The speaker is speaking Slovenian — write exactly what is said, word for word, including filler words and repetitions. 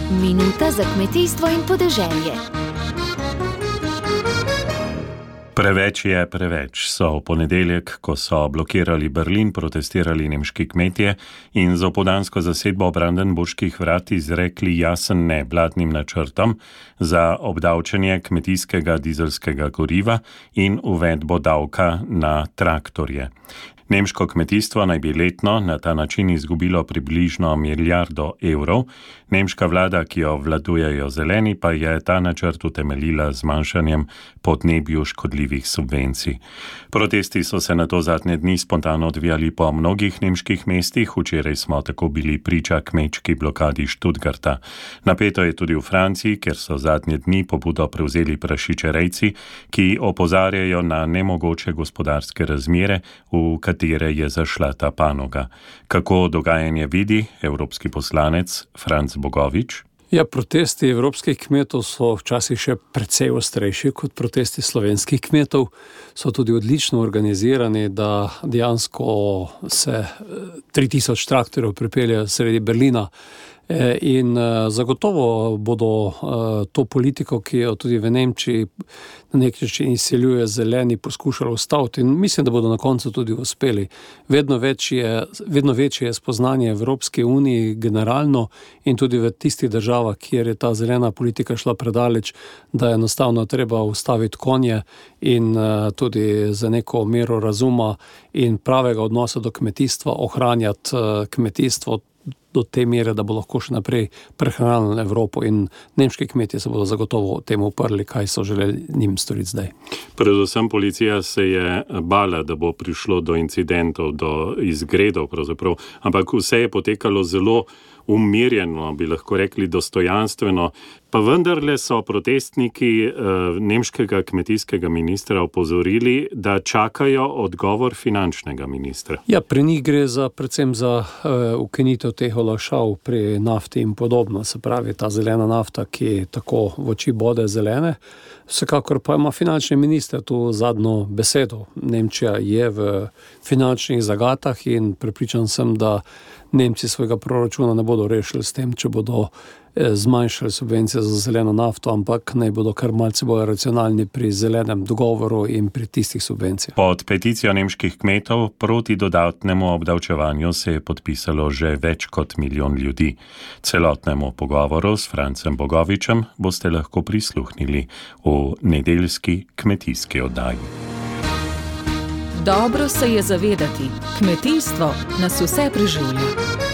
Minuta za kmetijstvo in podeželje. Preveč je preveč, so v ponedeljek, ko so blokirali Berlin, protestirali nemški kmetje in z opoldansko zasedbo Brandenburških vrat izrekli jasen ne vladnim načrtom za obdavčenje kmetijskega dizelskega goriva in uvedbo davka na traktorje. Nemško kmetijstvo naj bi letno na ta način izgubilo približno milijardo evrov. Nemška vlada, ki jo vladujejo zeleni, pa je ta načrt utemeljila z zmanjšanjem podnebju škodljivih subvencij. Protesti so se nato zadnje dni spontano odvijali po mnogih nemških mestih. Včeraj smo tako bili priča kmečki blokadi Stuttgarta. Napeto je tudi v Franciji, kjer so zadnje dni pobudo prevzeli prašičerejci, ki opozarjajo na nemogoče gospodarske razmere, v katere je zašla ta panoga. Kako dogajanje vidi evropski poslanec Franc Bogovič? Ja, protesti evropskih kmetov so včasih še precej ostrejši kot protesti slovenskih kmetov. So tudi odlično organizirani, da dejansko se tri tisoč traktorjev pripelje sredi Berlina. In zagotovo bodo to politiko, ki jo tudi v Nemčiji na nek način izsiljuje zeleni, poskušali ustaviti in mislim, da bodo na koncu tudi uspeli. Vedno večje, vedno večje je spoznanje Evropske unije generalno in tudi v tistih državah, kjer je ta zelena politika šla predaleč, da je enostavno treba ustaviti konje in tudi za neko mero razuma in pravega odnosa do kmetijstva ohranjati kmetijstvo do te mere, da bo lahko še naprej prehranili Evropo in nemški kmetje se bodo zagotovo temu uprli, kaj so želeli njim storiti zdaj. Predvsem policija se je bala, da bo prišlo do incidentov, do izgredov pravzaprav, ampak vse je potekalo zelo umirjeno, bi lahko rekli dostojanstveno, pa vendarle so protestniki eh, nemškega kmetijskega ministra opozorili, da čakajo odgovor finančnega ministra. Ja, pri njih gre za, predvsem za uh, ukinitev teh olajšav pri nafti in podobno, se pravi ta zelena nafta, ki tako v oči bode zelene. Vsekakor pa ima finančni minister tu zadnjo besedo. Nemčija je v finančnih zagatah in prepričan sem, da Nemci svojega proračuna ne bodo rešili s tem, če bodo zmanjšali subvencije za zeleno nafto, ampak naj bodo kar malce bolj racionalni pri zelenem dogovoru in pri tistih subvencijah. Pod peticijo nemških kmetov proti dodatnemu obdavčevanju se je podpisalo že več kot milijon ljudi. Celotnemu pogovoru s Francem Bogovičem boste lahko prisluhnili v nedeljski kmetijski oddaji. Dobro se je zavedati, kmetijstvo nas vse preživlja.